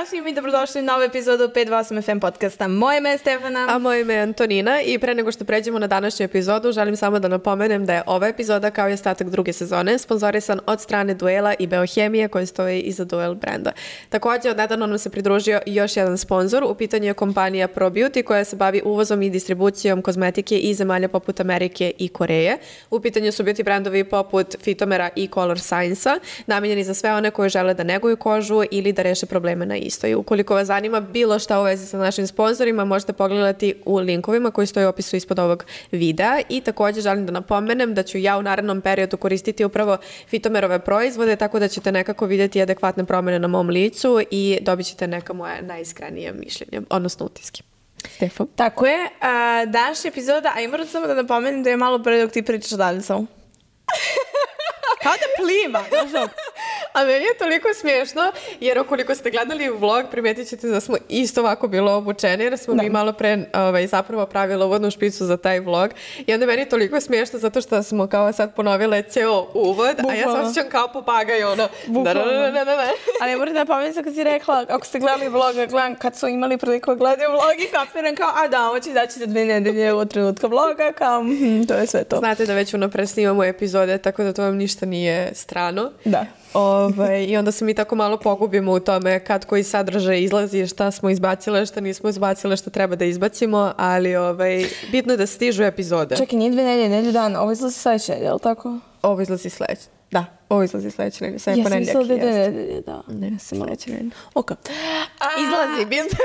svima i dobrodošli u novu epizodu 528 FM podcasta. Moje ime je Stefana. A moje ime je Antonina i pre nego što pređemo na današnju epizodu, želim samo da napomenem da je ova epizoda kao i ostatak druge sezone sponzorisan od strane Duela i Beohemije koji stoji iza Duel brenda. Također, odnedavno nam se pridružio još jedan sponzor, u pitanju je kompanija ProBeauty koja se bavi uvozom i distribucijom kozmetike iz zemalja poput Amerike i Koreje. U pitanju su beauty brendovi poput Fitomera i Color Science-a, namijenjeni za sve one koji žele da neguju kožu ili da reše probleme na istoj. Ukoliko vas zanima bilo šta u vezi sa našim sponzorima, možete pogledati u linkovima koji stoje u opisu ispod ovog videa. I također želim da napomenem da ću ja u narednom periodu koristiti upravo Fitomerove proizvode, tako da ćete nekako vidjeti adekvatne promjene na mom licu i dobit ćete neka moja najiskrenije mišljenje, odnosno utiske. Stefan? Tako je. Današnja epizoda, a i moram samo da napomenem da je malo pre dok ti pričaš dalje samo. Kao da pliva. A meni je toliko smiješno, jer ukoliko ste gledali vlog, primetit ćete da smo isto ovako bilo obučeni, jer smo mi malo pre zapravo pravili uvodnu špicu za taj vlog. I onda meni je toliko smiješno zato što smo kao sad ponovile ceo uvod, a ja se osjećam kao papagaj, ono. Ali moram da napomenem kad si rekla, ako ste gledali vlog, gledam kad su imali priliku gledaju vlog i kapiram kao, a da, ovo će izaći za 2 nedelje od trenutka vloga, kao, to je sve to. Znate da već unapred snimamo epizode, tako da to vam ništa nije strano. Da. I onda se mi tako malo pogubimo u tome kad koji sadržaj izlazi, šta smo izbacile, šta nismo izbacile, šta treba da izbacimo, ali bitno je da stižu epizode. Čekaj, nije 2 nedelje dana, ovo izlazi sledeće, je li tako? Ovo izlazi sledeće. Da, ovo izlazi sledeće nedelje. Sad je ponedjeljak. Ja sam mislila da je 2 nedelje, da. Ne, sledeće nedelje. Ok. Izlazi, bitno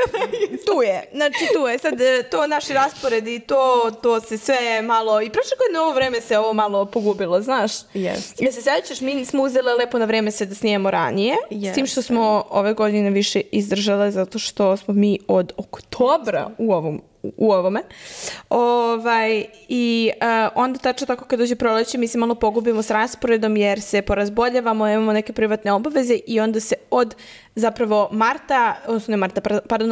tu je. Znači tu je. Sad to naši rasporedi, to se sve malo... I prošle godine ovo vreme se ovo malo pogubilo, znaš? Jeste. Ja se sjećaš, mi smo uzele lepo na vreme se da snijemo ranije. S tim što smo ove godine više izdržale zato što smo mi od oktobra u ovome. I onda tačno tako kad dođe proleće mi se malo pogubimo s rasporedom jer se porazboljavamo, imamo neke privatne obaveze i onda se od zapravo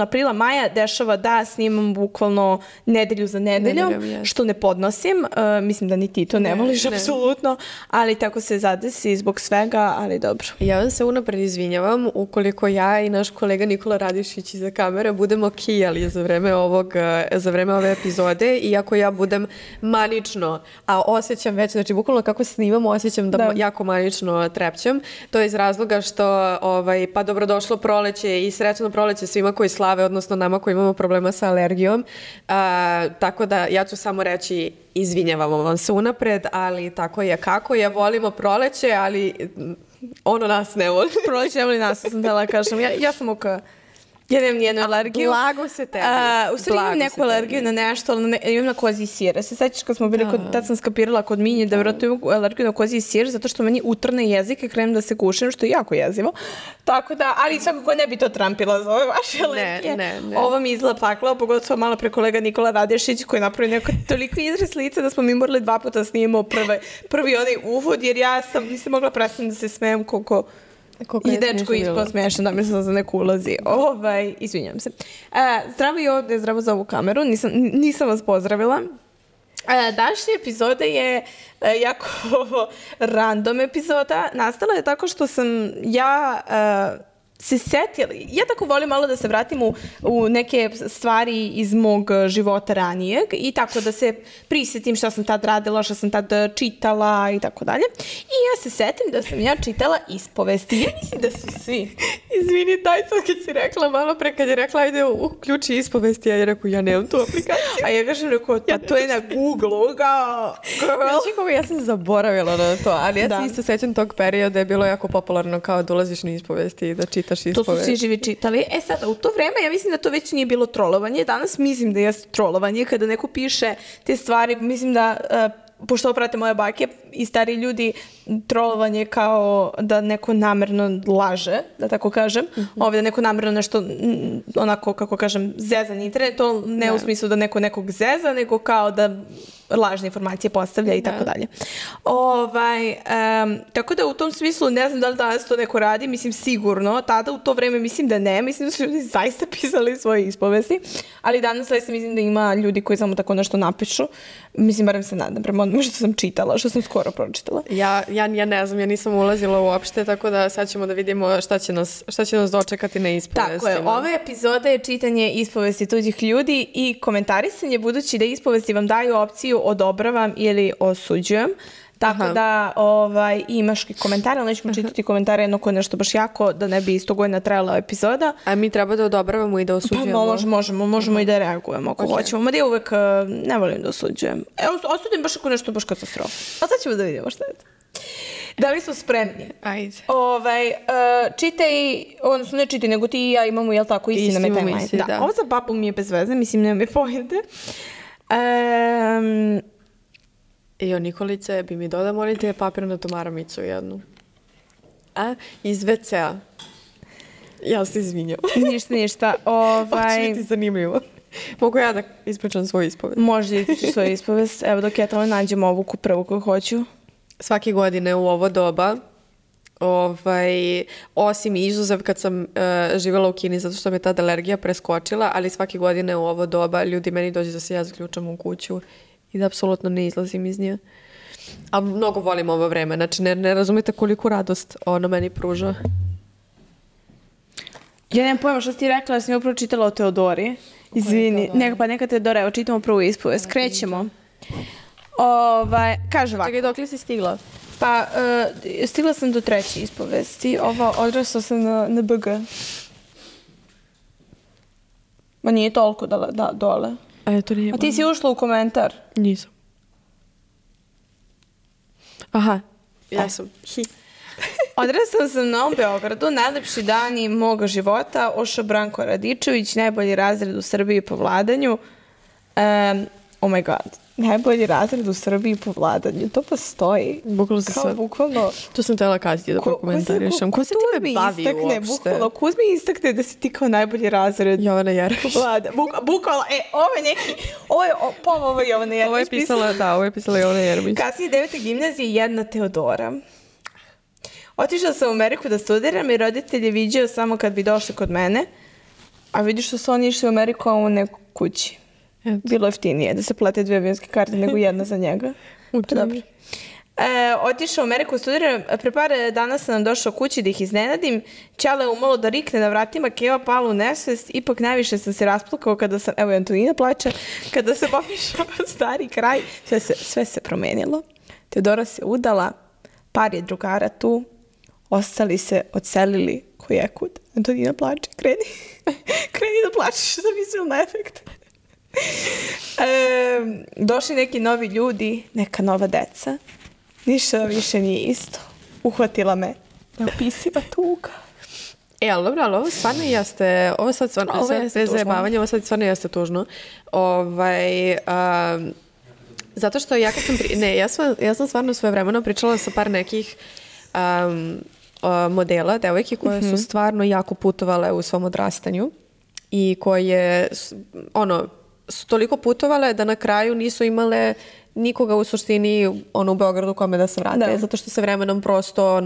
aprila, maja dešava da snimam bukvalno nedelju za nedeljom, što ne podnosim. Mislim da ni ti to ne voliš apsolutno, ali tako se zadesi zbog svega, ali dobro. Ja vam se unapred izvinjavam ukoliko ja i naš kolega Nikola Radišić iza kamere budemo kijali za vreme ove epizode, iako ja budem manično, a osjećam već, znači bukvalno kako snimamo, osjećam da jako manično trepćem. To je iz razloga što, pa dobrodošlo proleće i srećno proleće svima koji slave, odnosno nama koji imamo problema sa alergijom. Tako da ja ću samo reći izvinjavamo vam se unapred, ali tako je kako je. Volimo proleće, ali ono nas ne voli. Proleće ne voli nas, sam htjela kažem. Ja sam ja nemam nijednu alergiju. Blago se tebi. U stvari imam neku alergiju na nešto, ali imam na kozji sir. Se sećaš kad smo bili tad sam skapirala kod Minje da vjerojatno imam alergiju na kozji sir, zato što meni utrne jezik i krenem da se gušim, što je jako jezivo. Tako da, ali svakako ne bi to trampila za ove vaše alergije. Ne. Ovo mi izgleda paklao, pogotovo malo pre kolega Nikola Radešić koji je napravio neko toliko izraz lica da smo mi morali 2 puta snimamo prvi onaj uvod, jer ja nisam mogla prestati da se smijem koliko... I dečko ispao smiješan, da mislim za neku ulazi. Izvinjam se. Zdravo i ovdje, zdravo za ovu kameru. Nisam vas pozdravila. Današnja epizoda je jako random epizoda. Nastala je tako što sam se setila. Ja tako volim malo da se vratim u neke stvari iz mog života ranijeg i tako da se prisjetim šta sam tad radila, šta sam tad čitala i tako dalje. I ja se setim da sam ja čitala ispovesti. Ja mislim da su svi. Izvini, daj sad kad si rekla malo pre, kad je rekla ajde uključi ispovesti, ja je rekao ja nemam tu aplikaciju. A ja kažem rekao, pa to je na Google-u, kao girl. Ja sam zaboravila na to, ali ja se isto sećam tog perioda je bilo jako popularno kao da ulaziš na ispovesti i da čitaš ispovesti. To su svi živi čitali. Sada, u to vreme ja mislim da to već nije bilo trolovanje. Danas mislim da je trolovanje kada neko piše te stvari. Mislim da, pošto prate moje bake i stari ljudi, trolovanje kao da neko namerno laže, da tako kažem. Ovdje da neko namerno nešto, onako, kako kažem, zeza na internet. To ne u smislu da neko nekog zeza, nego kao da lažne informacije postavlja i tako dalje. Tako da u tom smislu ne znam da li danas to neko radi, mislim sigurno, tada u to vreme mislim da ne, mislim da su ljudi zaista pisali svoje ispovesti, ali danas mislim da ima ljudi koji samo tako nešto napišu, mislim barem se nadam, prema onome što sam čitala, što sam skoro pročitala. Ja Ja ne znam, ja nisam ulazila uopšte, tako da sad ćemo da vidimo šta će nas dočekati na ispovestima. Tako je, ova epizoda je čitanje ispovesti tuđih ljudi i komentarisanje, budući da ispovesti vam daju opciju odobravam ili osuđujem. Tako da imaš komentare, ali nećemo čitati komentare jedno koje nešto baš jako, da ne bi 100 godina trajala epizoda. A mi treba da odobravamo i da osuđujemo? Pa možemo i da reagujemo ako hoćemo. Mada ja uvek ne volim da osuđujem. Osudim baš ako nešto baš katastrofa. A sad ćemo da vidimo šta je to. Da li smo spremni? Ajde. Čitaj, odnosno ne čitaj, nego ti i ja imamo, jel tako, isti na timeline. Da. Ovo za papu mi je bez veze, mislim, nema mi pojede. Nikolice, bi mi dodao, molim te, papirnatu maramicu jednu. Iz WC-a. Ja se izvinjam. Ništa. Hoće biti zanimljivo. Mogu ja da ispričam svoju ispovest? Može da ispričam svoju ispovest. Evo dok ja tamo nađem ovu prvu koju hoću. Svake godine u ovo doba, osim izuzev kad sam živjela u Kini zato što me tada alergija preskočila, ali svake godine u ovo doba ljudi meni dođe da se ja zaključam u kuću i da apsolutno ne izlazim iz nje. A mnogo volim ovo vreme, znači ne razumete koliku radost ono meni pruža. Ja nemam pojma što si ti rekla, ja sam upravo čitala o Teodori. Izvini, neka Teodora, evo čitamo prvu ispovest, krećemo. Kaže ovako. Čekaj, dok li si stigla? Pa, stigla sam do treće ispovesti, odrasla sam na BG. Ma nije toliko dole. A ti si ušla u komentar? Nisam. Aha, ja sam. Odrasla sam na Novom Beogradu, najlepši dani moga života, Ošo Branko Radičević, najbolji razred u Srbiji po vladanju. Oh my god, najbolji razred u Srbiji po vladanju, to postoji. Bukvalno se sve. Bukvalno. To sam tela kazati da prokomentarišem. Ko se time bavi uopšte? Kuzmi istakne da si ti kao najbolji razred. Jovana Jeremić. Bukvalno, ovo je neki, ovo je Jovana Jeremić. Ovo je pisala Jovana Jeremić. Kasnije 9. gimnazije, jedna Teodora. Otišla sam u Ameriku da studiram i roditelj je viđao samo kad bi došli kod mene, a vidiš što su oni išli u Ameriku, a u neku kući. Bilo jeftinije da se plate 2 avionske karte nego jedna za njega. Dobro. Otišao u Ameriku studiram, pre par dana sam nam došao kući da ih iznenadim, Ćale umalo da rikne na vratima, Keva pala u nesvest, ipak najviše sam se rasplakao kada sam, evo Antonina plače, kada se pomišao stari kraj, sve se promenilo. Teodora se udala, par je drugara tu, ostali se odselili kojekud. Antonina plače, kreni da plačeš za vizualni efekt. Došli neki novi ljudi, neka nova deca. Ništa više nije isto. Uhvatila me neopisiva tuga. Ali dobro, ali ovo stvarno jeste, ovo sad stvarno, bez zajebavanja, ovo sad stvarno jeste tužno. Zato što ja kad sam, ja sam stvarno svoje vremeno pričala sa par nekih modela, devojke koje su stvarno jako putovale u svom odrastanju i koje, su toliko putovale da na kraju nisu imale nikoga u suštini u Beogradu kome da se vrate, zato što se vremenom prosto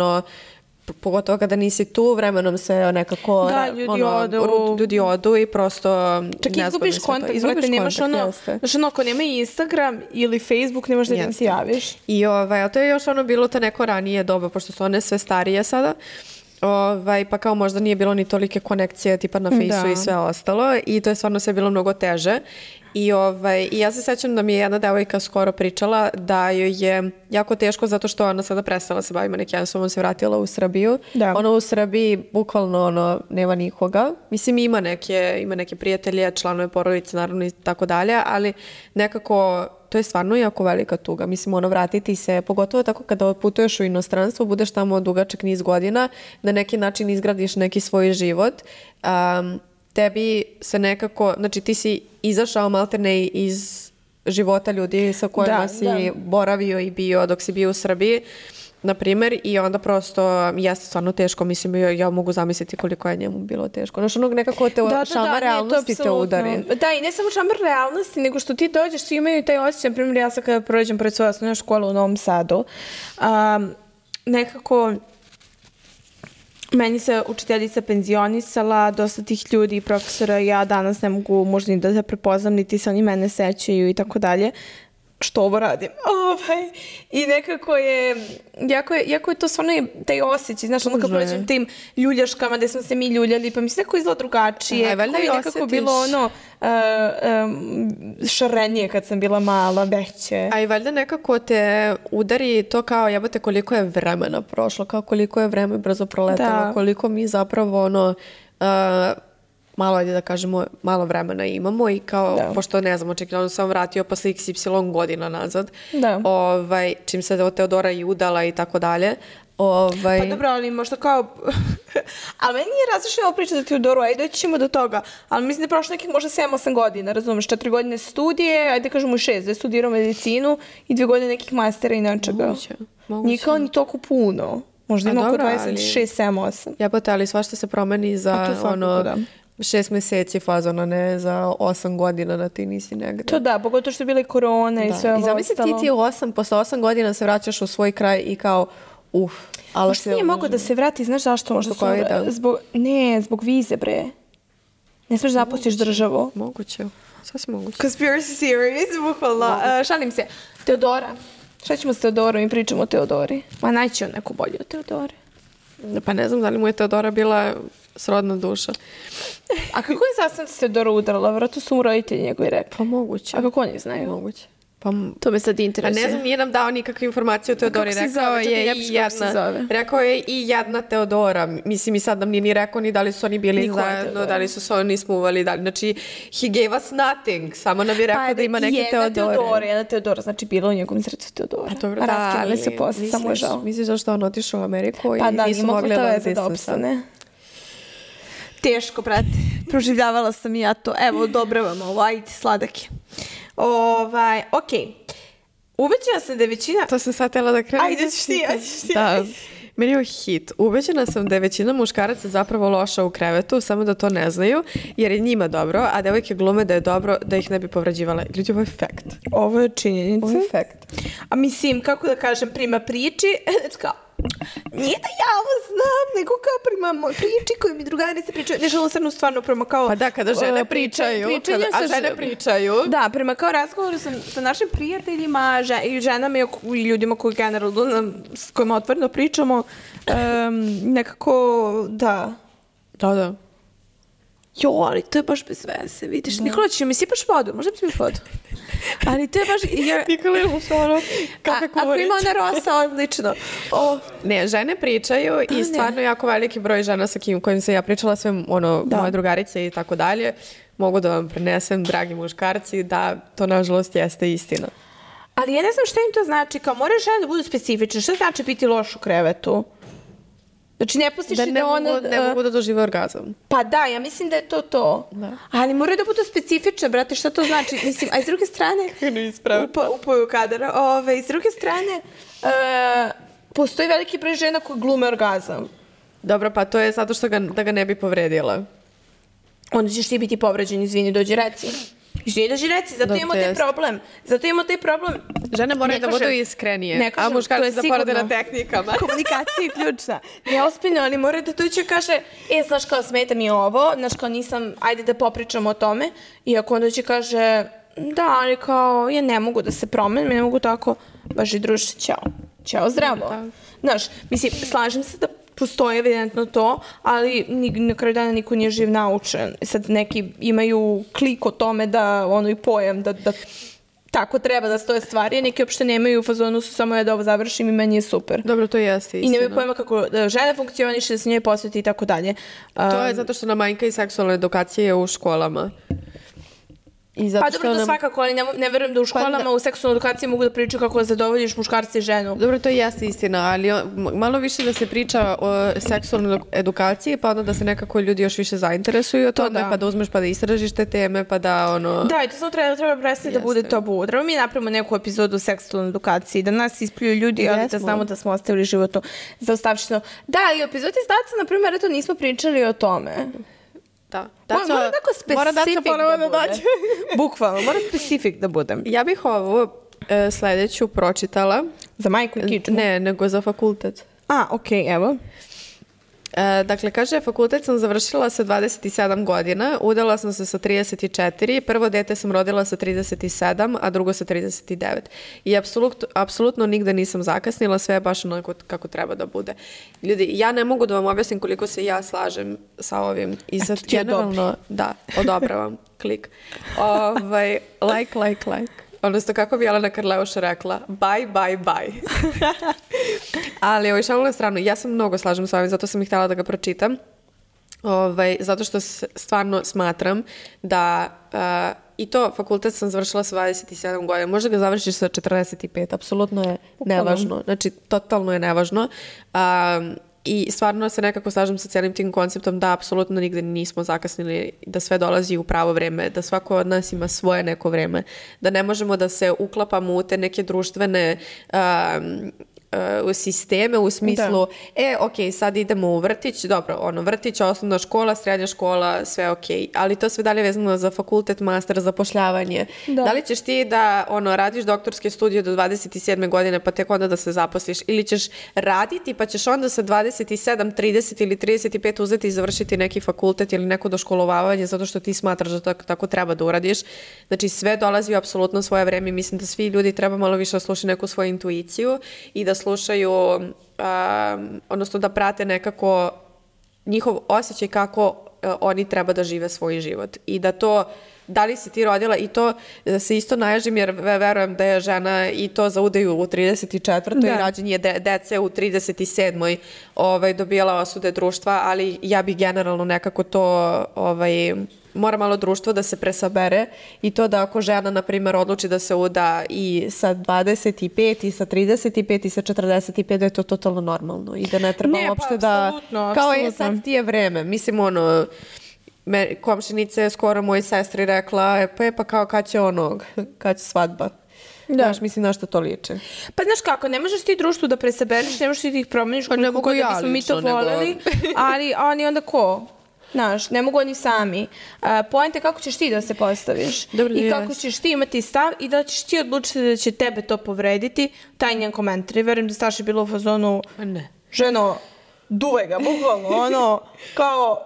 pogotovo kada nisi tu, vremenom se nekako ljudi odu i prosto čak izgubiš kontakt, nemaš ako nema Instagram ili Facebook, nemaš da im se javiš. I to je još bilo to neko ranije doba, pošto su one sve starije sada, pa kao možda nije bilo ni tolike konekcije tipa na Fejsu i sve ostalo i to je stvarno sve bilo mnogo teže. I ja se sećam da mi je jedna devojka skoro pričala da joj je jako teško zato što ona sada prestala se bavi manekenstvom, ona se vratila u Srbiju. Ona u Srbiji bukvalno nema nikoga. Mislim ima neke prijatelje, članove porodice naravno i tako dalje, ali nekako to je stvarno jako velika tuga. Mislim vratiti se, pogotovo tako kada putuješ u inostranstvo, budeš tamo dugačak niz godina, na neki način izgradiš neki svoj život. Tebi se nekako, znači ti si izašao maltene iz života ljudi sa kojima si boravio i bio dok si bio u Srbiji, na primjer, i onda prosto jeste stvarno teško, mislim, ja mogu zamisliti koliko je njemu bilo teško. Znaš, nekako šamar realnosti te udari. Da, i ne samo šamar realnosti, nego što ti dođeš, svi imaju taj osjećaj, na primjer, ja sad kada prođem pored svoje osnovne škole u Novom Sadu, nekako meni se učiteljica penzionisala, dosta tih ljudi i profesora, ja danas ne mogu možda ni da se prepoznam, niti se oni mene sećaju i tako dalje. što ovo radim. I nekako je, jako je to stvarno taj osjećaj, znaš, ono kad prođem tim ljuljaškama gde smo se mi ljuljali, pa mi se neko izgleda drugačije, kako je nekako bilo ono šarenije kad sam bila mala, veće. A i valjda nekako te udari to kao jebote koliko je vremena prošlo, kao koliko je vreme brzo proletalo, koliko mi zapravo ono... malo, ajde da kažemo, malo vremena imamo i kao, pošto ne znam, očekivano sam vratio posle XY godina nazad, čim se Teodora i udala i tako dalje. Pa dobro, ali možda kao... ali meni nije različna ova priča za Teodoru, ajde doći ćemo do toga, ali mislim da je prošlo nekih možda 7-8 godina, razumeš, 4 godine studije, ajde kažemo i 6, da je studirao medicinu i 2 godine nekih mastera i nečega. Moguće. Nije kao ni toliko puno. Možda ima oko 26, 7, 8. Jebote, ali svašta se promeni za ono... 6 meseci fazona, ne za 8 godina da ti nisi negde. To da, pogotovo što je bila i korona i sve ovo ostalo. I zamisli ti posle 8 godina se vraćaš u svoj kraj i kao, Možda nije mogo da se vrati, znaš zašto? Možda zbog vize, bre. Ne smeš da napustiš državu. Moguće, sasvim moguće. Conspiracy series, bukvalno. Šalim se. Teodora. Šta ćemo s Teodorom i pričamo o Teodori? Ma naći on neku bolju od Teodore. Pa ne znam da li mu je Teodora bila srodna duša. A kako je sastavno se Teodora udarala? Vjerojatno su mu roditelji njegovi rekli. Pa moguće. A kako oni znaju? Moguće. To me sad interesuje. A ne znam, nije nam dao nikakve informacije o Teodori. Rekao je i jedna Teodora. Mislim, i sad nam nije ni rekao ni da li su oni bili zajedno, da li su se oni smuvali. Znači, he gave us nothing. Samo nam je rekao da ima neke Teodore. Jedna Teodora, znači bilo u njegovom srcu Teodora. A dobro, da, ali se posle, samo je žao. Misliš zašto on otišao u Ameriku pa i nisu mogli da opstane. Teško, brate. Proživljavala sam i ja to. Evo, odobravam ovo, ajde, sladak je. Okej. Ubeđena sam da je većina... To sam sad htjela da krenem. Ajde, ćeš ti. Da, meni je hit. Ubeđena sam da je većina muškaraca zapravo loša u krevetu, samo da to ne znaju, jer je njima dobro, a devojke glume da je dobro da ih ne bi povređivale. Ljudi, ovo je fakt. Ovo je činjenica. Ovo je fakt. A mislim, kako da kažem, prima priči, kao, nije da ja ovo znam, nego kao prima priči koju mi drugarice pričaju. Nešto ovo srnu stvarno prema kao... Pa da, kada žene pričaju. A žene pričaju. Da, prema kao razgovoru sa našim prijateljima i ženama i ljudima koji generalno s kojima otvoreno pričamo, nekako, da. Da. Jo, ali to je baš bez veze, vidiš. Nikola, će mi sipaš vodu, možda bi mi vodu. Ali to je baš... Nikola je ono, kakve kuvariće. Ako ima ona rosa, odlično. Ne, žene pričaju i stvarno jako veliki broj žena sa kojim se ja pričala, sve moje drugarice i tako dalje, mogu da vam prenesem, dragi muškarci, da to nažalost jeste istina. Ali ja ne znam šta im to znači, kao moraju žene da budu specifične, šta znači biti loš u krevetu? Znači ne pustiš da ne mogu da dožive orgazam. Pa da, ja mislim da je to. Da. Ali moraju da budu specifične, brate, šta to znači? Mislim, a iz druge strane... Upoju kadara. Iz druge strane, postoji veliki broj žena koji glume orgazam. Dobro, pa to je zato što da ga ne bi povredila. Onda ćeš ti biti povređen, izvini, dođi reci. Izvini, dođi reci, zato imamo taj problem. Žene moraju da budu iskrenije, a muškarci da porade na tehnikama. Komunikacija je ključna. Neospiljno, ali moraju da dođe kaže, znaš kao smeta mi ovo, znaš kao nisam, ajde da popričamo o tome. I ako on dođe kaže, da, ali kao, ja ne mogu da se promenim, ne mogu tako, baži druže, ćao, zdravo. Znaš, mislim, slažem se da postoje evidentno to, ali na kraju dana niko nije živ naučen. Sad neki imaju klik o tome da i pojam da tako treba da stoje stvari, a neki uopšte nemaju u fazonu su samo da ovo završim i meni je super. Dobro, to jeste istina. I nemaju pojma kako žena funkcioniše, da se njoj posveti i tako dalje. To je zato što nam manjka i seksualna edukacija u školama. Pa dobro, to svakako, ali ne verujem da u školama u seksualnoj edukaciji mogu da pričaju kako zadovoljiš muškarca i ženu. Dobro, to jeste istina, ali malo više da se priča o seksualnoj edukaciji, pa onda da se nekako ljudi još više zainteresuju o tome, pa da uzmeš pa da istražiš te teme, pa da Da, i to samo treba prestati da bude tabu. Treba mi napravimo neku epizodu o seksualnoj edukaciji, da nas ispljuju ljudi, ali da znamo da smo ostavili životu zaostavšteno. Da, i u epizodi s Daca, na primjer, eto nismo pričali o tome. Mora specific da bude. Bukvalno, mora specific da budem. Ja bih ovu sledeću pročitala. Za majku i kičmu? Ne, nego za fakultet. Okej, evo. Dakle, kaže, fakultet sam završila sa 27 godina, udala sam se sa 34, prvo dete sam rodila sa 37, a drugo sa 39. I apsolutno nigde nisam zakasnila, sve je baš onako kako treba da bude. Ljudi, ja ne mogu da vam objasnim koliko se ja slažem sa ovim. I sad generalno, da, odobravam, klik. Like. Odnosno, kako bi Jelena Karleuša rekla, bye. Ali, šalu na stranu, ja sam mnogo slažem sa ovim, zato sam i htjela da ga pročitam. Zato što stvarno smatram da i to fakultet sam završila sa 27 godina. Možda ga završiš sa 45, apsolutno je nevažno. Znači, totalno je nevažno. I stvarno se nekako slažem sa cijelim tim konceptom da apsolutno nigde nismo zakasnili, da sve dolazi u pravo vreme, da svako od nas ima svoje neko vreme, da ne možemo da se uklapamo u te neke društvene sisteme u smislu, ok, sad idemo u vrtić, dobro, vrtić, osnovna škola, srednja škola, sve ok, ali to sve dalje vezano za fakultet, master, zapošljavanje. Da li ćeš ti da radiš doktorske studije do 27. godine pa tek onda da se zaposliš, ili ćeš raditi pa ćeš onda sa 27, 30 ili 35 uzeti i završiti neki fakultet ili neko doškolovavanje zato što ti smatraš da tako treba da uradiš. Znači sve dolazi u apsolutno svoje vreme i mislim da svi ljudi treba malo više da slušaju neku svoju intuiciju i da slušaju, odnosno da prate nekako njihov osjećaj kako oni treba da žive svoj život. I da to, da li si ti rodila, i to se isto naježim jer verujem da je žena i to za udaju u 34. i rađenje dece u 37. Dobijala osude društva, ali ja bih generalno nekako to mora malo društvo da se presabere i to da ako žena, na primjer, odluči da se uda i sa 25 i sa 35 i sa 45, da je to totalno normalno i da ne treba uopšte da... Kao je sad ti je vreme. Mislim, komšinica je skoro mojoj sestri rekla, pa kao kad će svadba. Znaš, mislim na što to liče. Pa znaš kako, ne možeš ti društvu da presabereš, ne možeš ti da ih promeniš koliko god da bismo mi to voljeli, ali oni onda ko? Znaš, ne mogu oni sami. Poenta je kako ćeš ti da se postaviš i kako ćeš ti imati stav i da ćeš ti odlučiti da će tebe to povrediti, taj njen komentar. I verujem da Staša je bilo u fazonu, ženo, duvaj ga, bukvalno, kao,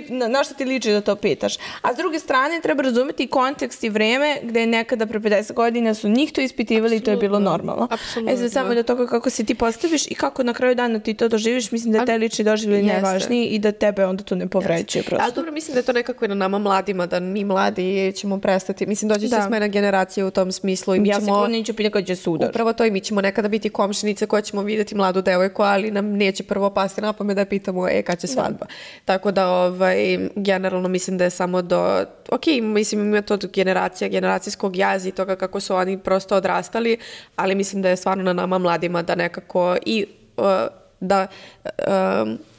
na šta ti liči da to pitaš. A s druge strane, treba razumeti kontekst i vreme gde nekada pre 50 godina su njih to ispitivali i to je bilo normalno. Sad samo do toga kako se ti postaviš i kako na kraju dana ti to doživiš, mislim da je taj lični doživljaj najvažniji i da tebe onda to ne povređuje prosto. Ali dobro, mislim da je to nekako i na nama mladima, da mi mladi ćemo prestati. Mislim, dođe će smena generacija u tom smislu. Ja se kod neću pitati kad će sudar. Upravo to i mi ćemo nekada biti komšinice koje ćemo vidjeti mladu devojku, ali nam neće prvo pasti na pamet da pitamo kad će svadba. Tako da generalno mislim da je samo do... Ok, mislim ima to generacijskog jaza i toga kako su oni prosto odrastali, ali mislim da je stvarno na nama mladima da nekako i da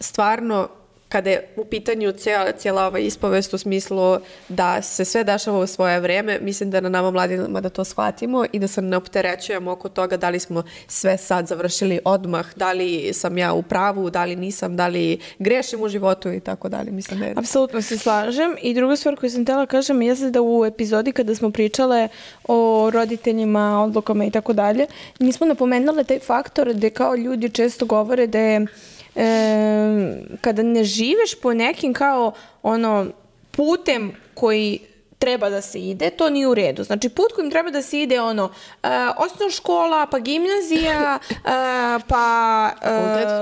stvarno kada je u pitanju cijela ova ispovest u smislu da se sve dešava u svoje vreme, mislim da na nama mladima da to shvatimo i da se ne opterećujemo oko toga da li smo sve sad završili odmah, da li sam ja u pravu, da li nisam, da li grešim u životu i tako dalje. Mislim da je... Apsolutno se slažem. I druga stvar koju sam htjela kažem jeste da u epizodi kada smo pričale o roditeljima, odlukama i tako dalje, nismo napomenule taj faktor gde kao ljudi često govore da je kada ne živiš po nekim kao putem koji treba da se ide, to nije u redu. Znači, put kojim treba da se ide osnovna škola, pa gimnazija, pa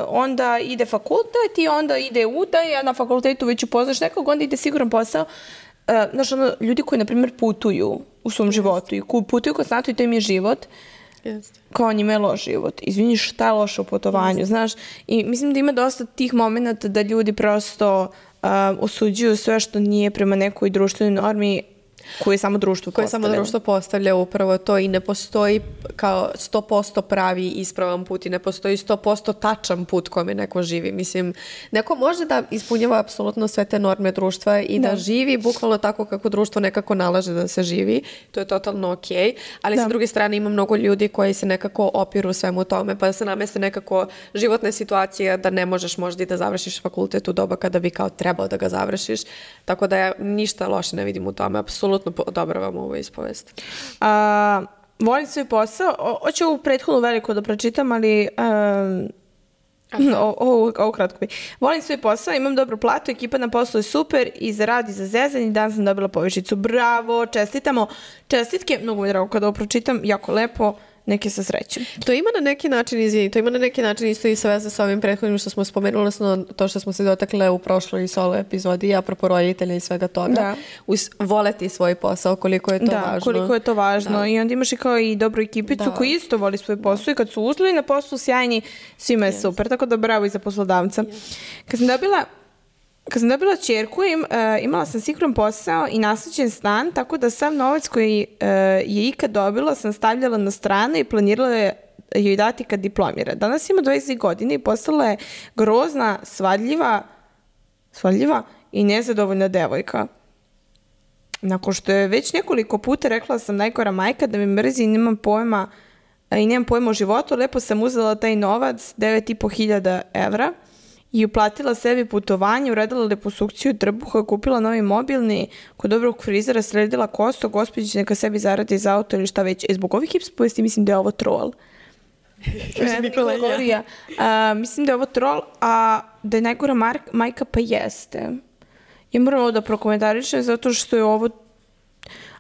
onda ide fakultet i onda ide udaj, a na fakultetu već upoznaš nekog, onda ide siguran posao. Znaš, ljudi koji, na primjer, putuju u svom životu i putuju konstantno i to im je život, kao njima je loš život. Izvini, šta je loše u putovanju, znaš? I mislim da ima dosta tih momenta da ljudi prosto osuđuju sve što nije prema nekoj društvenoj normi koje samo društvo postavlja upravo to i ne postoji kao 100% pravi ispravan put i ne postoji 100% tačan put kome neko živi. Mislim, neko može da ispunjava apsolutno sve te norme društva i da živi bukvalno tako kako društvo nekako nalaže da se živi. To je totalno okej. Ali sa druge strane ima mnogo ljudi koji se nekako opiru svemu tome pa da se nameste nekako životne situacije da ne možeš možda i da završiš fakultet u doba kada bi kao trebao da ga završiš. Tako da ja ništa loše ne vidim u tome. Apsolutno odobravam ovu ispovest. Volim svoj posao. Hoću ovu prethodnu veliko da pročitam, ali Ovo kratko bi. Volim svoj posao, imam dobru platu, ekipa na poslu je super i za rad i za zezanje, dan sam dobila povišicu. Bravo, čestitamo. Čestitke, mnogo mi je drago kada ovo pročitam, jako lepo. Neke sa srećom. To ima na neki način, to ima na neki način isto i sve sa ovim prethodnim što smo spomenuli, odnosno to što smo se dotakle u prošloj solo epizodi, apropo roditelja i svega toga. Da. Voleti svoj posao, koliko je to važno. Da, koliko je to važno. I onda imaš i kao i dobru ekipicu koji isto voli svoj posao i kad su uslovi na poslu sjajni, svima je super. Tako da bravo i za poslodavca. Kad sam dobila ćerku, imala sam siguran posao i nasleđen stan, tako da sav novac koji je ikad dobila sam stavljala na stranu i planirala joj dati kad diplomira. Danas ima 20 godina i postala je grozna, svadljiva i nezadovoljna devojka. Nakon što je već nekoliko puta rekla sam najgora majka da me mrzi i nemam pojma o životu, lepo sam uzela taj novac, 9.500 evra, i uplatila sebi putovanje, uradila liposukciju trbuha, kupila novi mobilni, kod dobrog frizera sredila kosu, gospođić neka sebi zaradi za auto ili šta već. Zbog ovih hips povesti mislim da je ovo troll. Mislim da je ovo troll, a da je najgora majka pa jeste. Ja moram ovo da prokomentarišem zato što je ovo...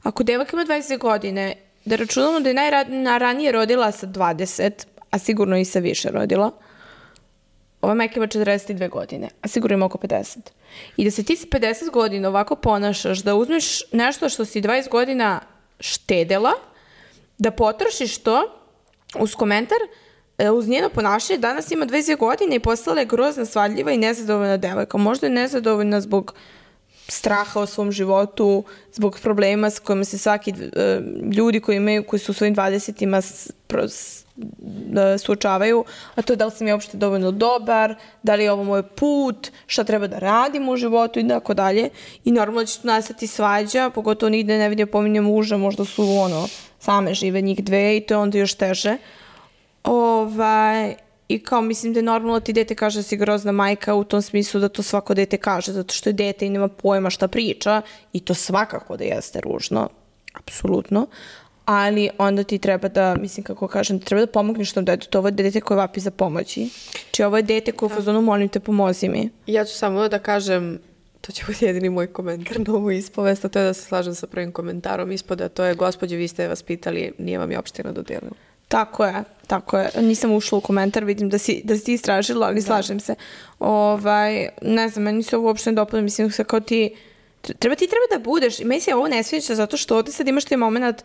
Ako devojka ima 20 godine, da računamo da je najranije rodila sa 20, a sigurno i sa više rodila, ova majka ima 42 godine, a sigurno ima oko 50. I da se ti s 50 godina ovako ponašaš, da uzmeš nešto što si 20 godina štedela, da potrošiš to uz komentar, uz njeno ponašanje, danas ima 22 godine i postala je grozna, svadljiva i nezadovoljna devojka. Možda je nezadovoljna zbog straha o svom životu, zbog problema s kojima se svaki ljudi koji su u svojim 20-ima suočavaju, a to je da li sam ja uopšte dovoljno dobar, da li je ovo moj put, šta treba da radim u životu i tako dalje. I normalno će tu nastati svađa, pogotovo nigde ne vidio pominje muža, možda su same žive njih dve i to je onda još teže. I kao mislim da je normalno ti dete kaže da si grozna majka u tom smislu da to svako dete kaže, zato što je dete i nema pojma šta priča i to svakako da jeste ružno, apsolutno. Ali onda ti treba da, mislim kako kažem, treba da pomogneš tom detetu. Ovo je dete koje vapi za pomoći. Či ovo je dete koje u fazonu molim te pomozi mi. Ja ću samo da kažem, to će biti jedini moj komentar na ovu ispovest, a to je da se slažem sa prvim komentarom ispoda, to je gospođe, vi ste vas pitali, nije vam je opština dodelila. Tako je. Nisam ušla u komentar, vidim da si ti istražila, ali slažem se. Ne znam, meni se ovo uopšte ne dopada, mislim se kao ti treba da budeš, i meni se ovo ne sviđa zato što ovdje sad imaš taj moment,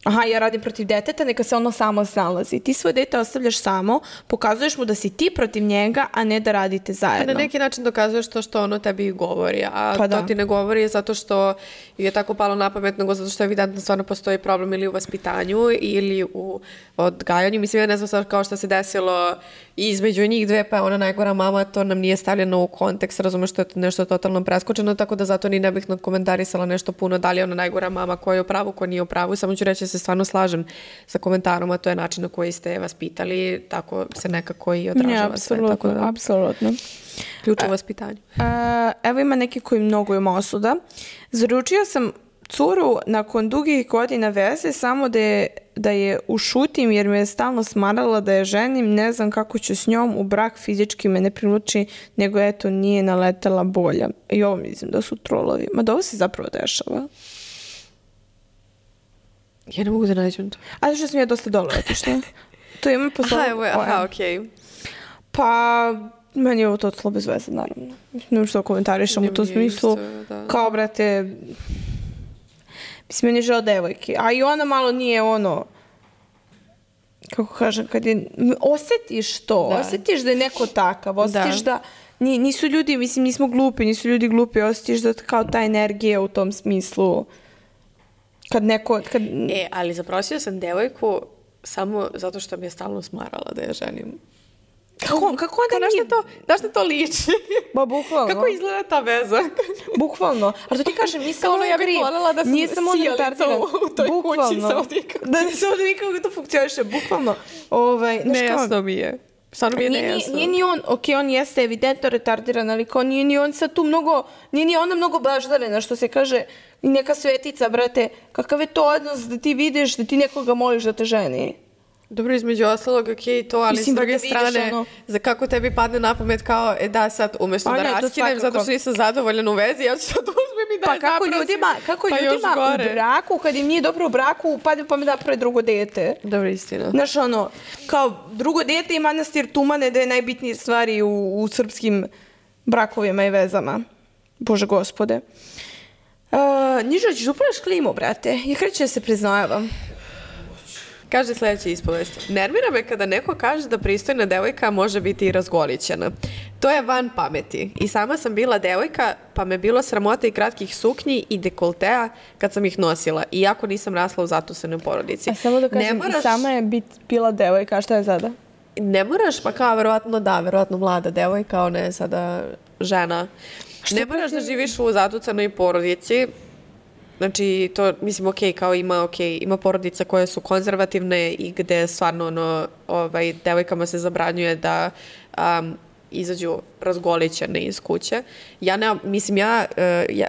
aha, ja radim protiv deteta, neka se ono samo snalazi. Ti svoje dete ostavljaš samo, pokazuješ mu da si ti protiv njega, a ne da radite zajedno. Na neki način dokazuješ to što ono tebi govori, a to ti ne govori zato što je tako palo na pamet, nego zato što evidentno stvarno postoji problem ili u vaspitanju ili u odgajanju. Mislim, ja ne znam sad kao što se desilo između njih dve, pa je ona najgora mama, to nam nije stavljeno u kontekst, razumeš što je nešto totalno preskočeno, tako da zato ni ne bih komentarisala nešto puno, da li je ona najgora mama, ko je u pravu, ko nije u pravu, samo ću reći da se stvarno slažem sa komentarom, a to je način na koji ste vas pitali, tako se nekako i odražava sve. Apsolutno. Ključ u vaspitanju. Evo ima neki koji mnogo ima osuda. Zaručio sam curu nakon dugih godina veze samo da je ušutim jer me je stalno smarala da je ženim, ne znam kako ću s njom, u brak fizički me ne priluči, nego eto nije naletela bolja. I ovo mislim da su trolovi. Ma da ovo se zapravo dešava. Ja ne mogu da nađem to. A što sam ja dosta dole otišla. To ima okej. Pa, meni je ovo totalno bez veze, naravno. Ne što komentarišem u tom smislu. Kao, brate, mislim, meni je žao devojke. A i ona malo nije kako kažem, kad je, osjetiš to, osjetiš da je neko takav, osjetiš da nisu ljudi, mislim, nismo glupi, nisu ljudi glupi, osjetiš da kao ta energija u tom smislu. Ali zaprosio sam devojku samo zato što mi je stalno smarala da je ženim. Kako onda nije? Znaš što to liči? Ba, bukvalno. Kako izgleda ta veza? Bukvalno. Ali to ti kažem, nisam ono ja bih voljela da sam sijalica u toj kući sa odvikam. Da ne se odvikam kako to funkcioniše. Bukvalno. Nejasno mi je. Stvarno mi je nejasno. Nije ni on, on jeste evidentno retardiran, ali kao nije ni on sad tu mnogo, nije ni ona mnogo baždarena, što se kaže, neka svetica, brate. Kakav je to odnos da ti vidiš, da ti nekoga moliš da te ženi? Dobro, između ostalog, ok, to, ali Mislim, s druge da vidiš strane, ono- za kako tebi padne na pamet kao, da sad, umjesto A da ne, to raskinem, zato svakako. što nisam zadovoljan u vezi, ja ću sad uzmem i da Pa je kako zaprosim, kako pa još ljudima gore. u braku, kad im nije dobro u braku, padne pa mi da naprave drugo dete. Dobro, istina. Znaš, ono, kao drugo dete i manastir Tumane da je najbitnije stvari u srpskim brakovima i vezama. Bože gospode. Nižo, ćeš upraviš klimu, brate. Ja kreću da se priznajavam. Kaže sljedeća ispovest. Nervira me kada neko kaže da pristojna devojka može biti i razgolićena. To je van pameti. I sama sam bila devojka, pa me bilo sramota i kratkih suknji i dekoltea kad sam ih nosila. Iako nisam rasla u zatusenoj porodici. A samo da kažem, i sama je bila devojka, a šta je sada? Ne moraš, pa kao verovatno mlada devojka, ona je sada žena. Ne moraš da živiš u zatucanoj porodici. Znači, to, mislim, kao ima porodica koje su konzervativne i gde stvarno, devojkama se zabranjuje da izađu razgolićene iz kuće.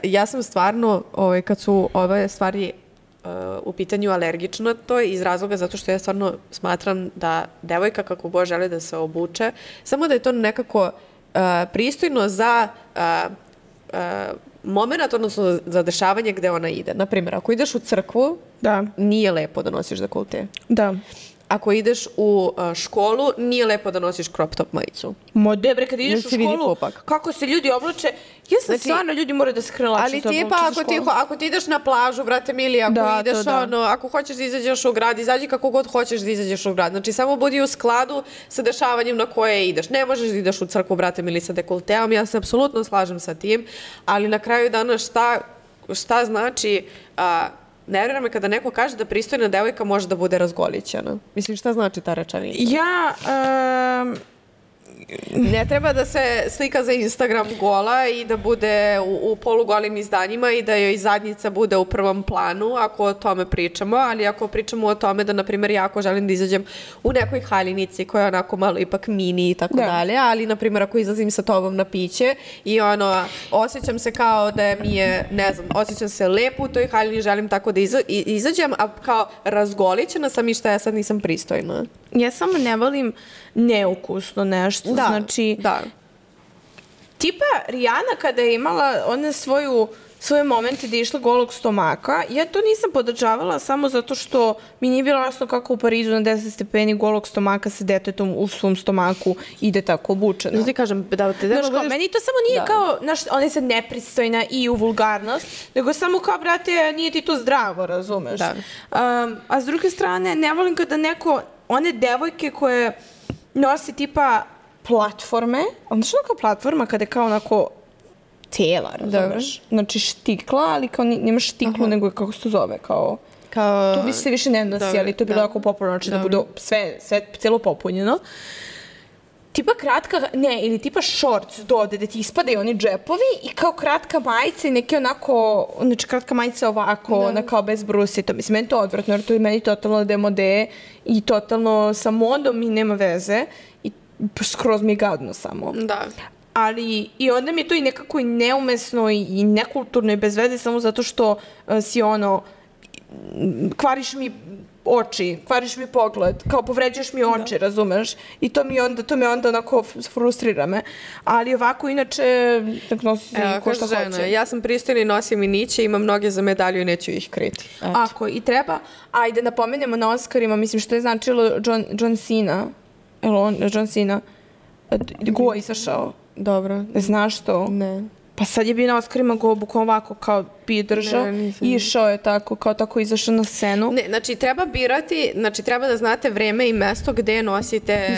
Ja sam stvarno, kad su ove stvari u pitanju alergična to iz razloga zato što ja stvarno smatram da devojka kako god želi da se obuče, samo da je to nekako pristojno za moment, odnosno za dešavanje gde ona ide. Naprimjer, ako ideš u crkvu, nije lepo da nosiš dekolte. Da. Ako ideš u školu, nije lepo da nosiš crop top majicu. Debre, kad ideš u školu, kako se ljudi oblače, stvarno ljudi moraju da se krelače. Ali tipa, ako ti ideš na plažu, brate mili, ako hoćeš da izađeš u grad, izađi kako god hoćeš da izađeš u grad. Znači, samo budi u skladu sa dešavanjem na koje ideš. Ne možeš da ideš u crkvu, brate mili, sa dekolteom, ja se apsolutno slažem sa tim, ali na kraju dana šta znači... Nervira me kada neko kaže da pristojna devojka može da bude razgolićena. Mislim, šta znači ta rečenica? Ne treba da se slika za Instagram gola i da bude u polugolim izdanjima i da joj zadnjica bude u prvom planu, ako o tome pričamo, ali ako pričamo o tome da, na primjer, ja ako želim da izađem u nekoj haljinici koja je onako malo ipak mini i tako dalje, ali, na primjer, ako izlazim sa tobom na piće i osjećam se kao da mi je, ne znam, osjećam se lepo u toj haljini, želim tako da izađem, a kao razgolićena sam i šta ja sad nisam pristojna. Ja samo ne volim neukusno nešto. Znači, tipa Rijana kada je imala one svoje momente da je išla golog stomaka, ja to nisam podržavala samo zato što mi nije bilo jasno kako u Parizu na 10 stepeni golog stomaka sa detetom u svom stomaku ide tako obučeno. Znači, kažem, meni to samo nije kao, ona je sad nepristojna i u vulgarnost, nego samo kao, brate, nije ti to zdravo, razumeš? A s druge strane, ne volim kada neko, one devojke koje nosi tipa platforme, ali što je kao platforma kada je kao onako tela, razumeš? Znači štikla, ali kao nemaš štiklu, nego je kako se to zove, kao... To se više ne nosi, ali to je bilo jako popularno, znači da bude sve celo popunjeno. Tipa kratka, ili tipa shorts dode, da ti ispadaju oni džepovi i kao kratka majica i neki onako, znači kratka majica ovako, ona kao bez brusita. Mislim, meni to odvratno, jer to je meni totalno demode i totalno sa modom i nema veze i skroz mi je gadno samo. Da. Ali i onda mi je to i nekako i neumesno i nekulturno i bez veze samo zato što si kvariš mi oči, kvariš mi pogled, kao povređuješ mi oči, razumeš? I to me onda onako frustrira me. Ali ovako, inače, nosi se ko šta hoće. Ja sam pristojna i nosim i niće, imam noge za medalju i neću ih kriti. Ako i treba, ajde napomenemo na Oscarima, mislim što je značilo John Cena. John Cena. Go izašao. Dobro. Znaš to? Ne. Pa sad je bio na Oscarima go bukvalno ovako kao bi držao i išao je tako, kao tako izašao na scenu. Ne, znači treba birati, znači treba da znate vreme i mesto gde nosite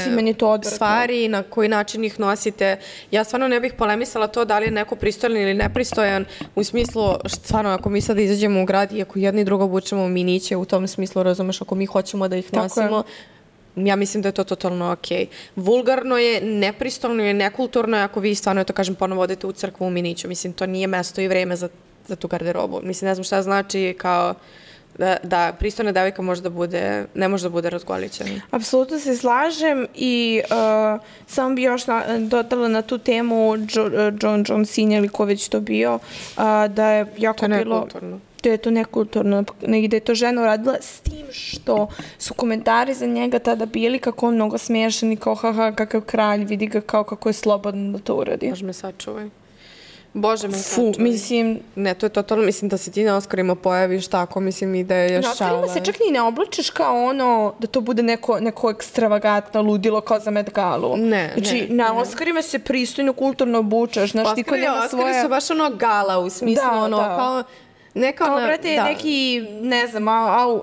stvari, na koji način ih nosite. Ja stvarno ne bih polemisala to da li je neko pristojan ili nepristojan, u smislu, stvarno ako mi sad izađemo u grad i ako jedni drugo obučemo miniće, u tom smislu, razumeš, ako mi hoćemo da ih nosimo, ja mislim da je to totalno okej. Vulgarno je, nepristojno je, nekulturno je ako vi stvarno, to kažem, ponovo odete u crkvu u miniću. Mislim, to nije mesto i vreme za tu garderobu. Mislim, ne znam šta znači kao da pristojna devojka ne može da bude razgolićena. Apsolutno se slažem i samo bi još dodala na tu temu John Cena ili ko već to bio, da je jako bilo... nekulturno. da je to nekulturno, nego da je to žena uradila, s tim što su komentari za njega tada bili kako on mnogo smiješan i kao haha, kakav kralj, vidi ga kao kako je slobodan da to uradi. Bože me sačuvaj. Bože me sačuvaj. Mislim... Ne, to je totalno, mislim da se ti na Oscarima pojaviš tako, mislim i da je šala. Na Oscarima se čak ni ne oblačiš kao ono, da to bude neko ekstravagantno ludilo kao za Met Galu. Ne, znači, na Oscarima se pristojno, kulturno obučaš, znaš, niko nema svoje... Oscari su baš ono gala u smislu, kao... Kao, brate, neki, ne znam,